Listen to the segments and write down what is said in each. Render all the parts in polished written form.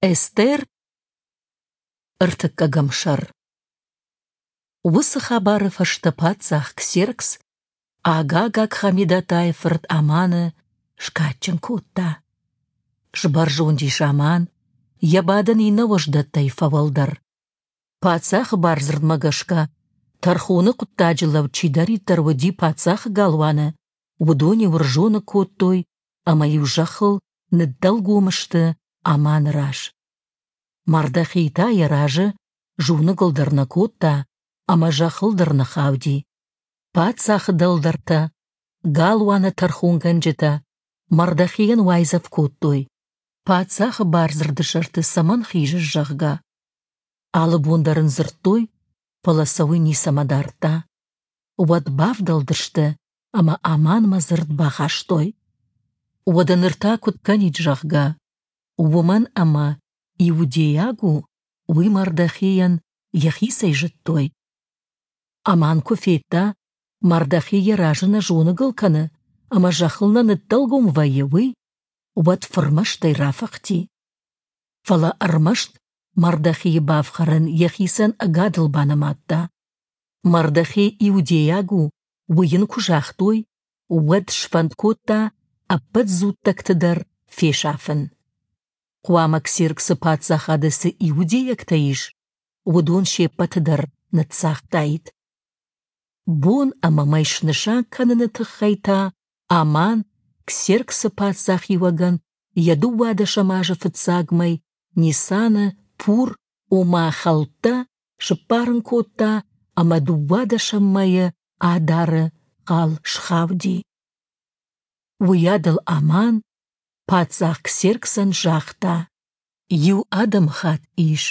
Эстер, ӕртыккӕгӕм сӕр. Уыцы хабары фӕстӕ паддзах Ксеркс Агагаг Хамедатайы фырт Аманы скадджын кодта. Сбӕрзонд ис Аман, йӕ бадӕн иннӕ уӕздӕттӕй фӕуӕлдӕр. Паддзахы бардзырдмӕ гӕсгӕ, тӕрхоны хъуыддаджы лӕуд чидӕриддӕр уыди паддзахы галуаны, уыдон-иу ӕрзоны кодтой ӕмӕ-иу зӕххыл ныддӕлгом сты Аманы раз. Мардохей та йӕ разы зоныгыл дӕр нӕ кодта ӕмӕ зӕххыл дӕр нӕ хауди. Паддзахы дӕлдӕртӕ, галуаны тӕрхонгӕнджытӕ Мардохейӕн уайдзӕф кодтой, паддзахы бардзырды сӕрты цӕмӕн хизыс, зӕгъгӕ. Алы бон дӕр ын дзырдтой, фӕлӕ сӕ уый ницӕмӕ дардта. Уӕд бавдӕлдысты ӕмӕ Аманмӕ дзырд бахастой. Уӕдӕ ныр та куыд кӕнид, зӕгъгӕ, уымӕн ӕмӕ иудейаг у, уый Мардохейӕн йӕхицӕй зыдтой. Аман куы федта, Мардохей йӕ разы нӕ зоныгыл кӕны ӕмӕ зӕххыл нӕ ныддӕлгом вӕййы, уый, уӕд фырмӕстӕй рафыхти. Фӕлӕ ӕрмӕст Мардохейы бафхӕрын йӕхицӕн ӕгадыл банымадта. Мардохей иудейаг у, уый йын куы загътой, уӕд сфӕнд кодта ӕппӕт дзуттӕгты дӕр фесафын. Хъуамӕ Ксерксы паддзахады цы иудейӕгтӕ ис, уыдон се ппӕты дӕр ныццагътаид. Бон ӕмӕ мӕй снысан кӕныны тыххӕй та Аман Ксерксы паддзахиуӕгӕн йӕ дыууадӕсӕм азы фыццаг мӕй Нисаны Пур, ома хӕлттӕ, сыппарын кодта ӕмӕ дыууадӕсӕм мӕйы Адары хъал схауди. Уыйадыл Аман паддзах Ксерксӕн загъта: Иу адӕмыхатт ис,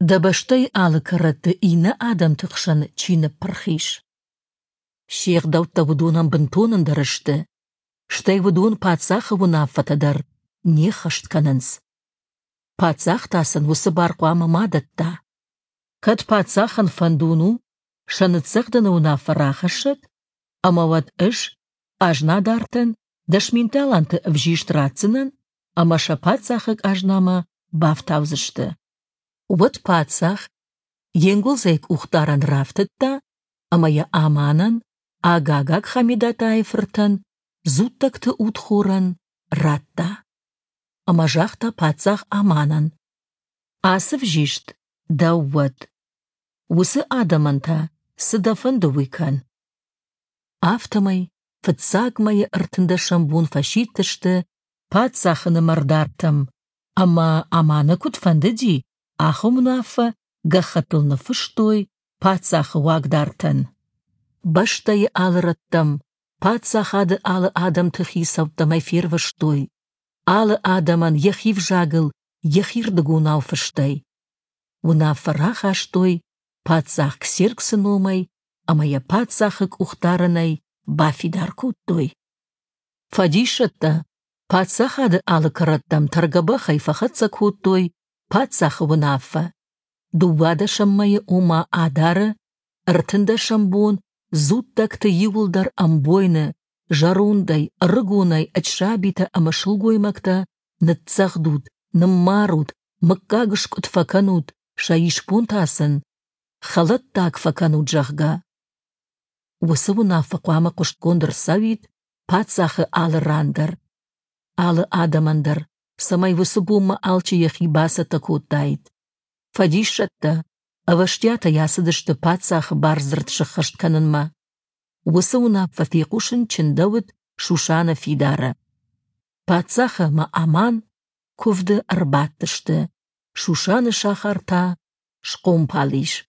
дӕ бӕстӕйы алы кӕрӕтты иннӕ адӕмты хсӕн чи ныппырх ис. Се гъдӕуттӕ уыдонӕн бынтон ӕндӕр сты, стӕй уыдон паддзахы уынаффӕтӕ дӕр не ххӕст кӕнынц. Паддзах та сын уыцы бар хъуамӕ ма дӕтта. Кӕд паддзахӕн фӕндон у, сӕ ныццӕгъдыны уынаффӕ рахӕссӕд, ӕмӕ уӕд ӕз къазнадартӕн 10 000 таланты ӕвзист ратдзынӕн ӕмӕ сӕ паддзахы къазнамӕ бафтаудзысты. Уӕд паддзах йе нгуылдзӕй къухдарӕн рафтыдта ӕмӕ йӕ Аманӕн, Агагаг Хамедатайы фыртӕн, дзуттӕгты удхорӕн, радта. Ӕмӕ загъта паддзах Аманӕн: «Ацы взист дӕу уӕд. Уыцы адӕмӕн та, цы дӕ фӕнды, уый кӕн». Афтӕмӕй фыццаг мӕйы ӕртындӕсӕм бон фӕсидтысты паддзахы нымӕрдартӕм, ӕмӕ Аманы куыд фӕндыди, ахӕм уынаффӕ гӕххӕттыл ныффыстой паддзахы уагдартӕн. Бӕстӕйы алы рӕттӕм, паддзахады алы адӕмты хицӕуттӕм ӕй фервыстой, алы адӕмӕн йӕхи взагыл йӕхирдыгонау фыстӕй. Уынаффӕ рахастой паддзах Ксерксы номӕй ӕмӕ йӕ паддзахы къухдарӕнӕй бафидар кодтой. Фӕдисӕттӕ паддзахады алы кӕрӕттӕм тӕргӕбӕхӕй фӕхӕццӕ кодтой паддзахы уынаффӕ. Дыууадӕсӕм мӕйы, ома Адары, ӕртындӕсӕм бон дзуттӕгты иуылдӕр ӕмбойны, зӕрондӕй, ӕрыгонӕй ӕд сабитӕ ӕмӕ сылгоймӕгтӕ ныццӕгъдут, ныммарут, мыггагыскъуыд фӕкӕнут, сӕ исбон та сын хӕлӕттаг фӕкӕнут, зӕгъгӕ. Уыцы уынаффӕ хъуамӕ хъуыстгонд ӕрцӕуид паддзахы алы ран дӕр, алы адӕмӕн дӕр, цӕмӕй уыцы бонмӕ алчи йӕхи бацӕттӕ кодтаид. Фӕдиссӕттӕ ӕвӕстиатӕй ацыдысты паддзахы бардзырд сӕххӕст кӕнынмӕ. Уыцы уынаффӕ фехъусын чындӕуыд Шушаны фидары. Паддзах ӕмӕ Аман куывды ӕрбадтысты, Шушаны сахар та схъомпал ис.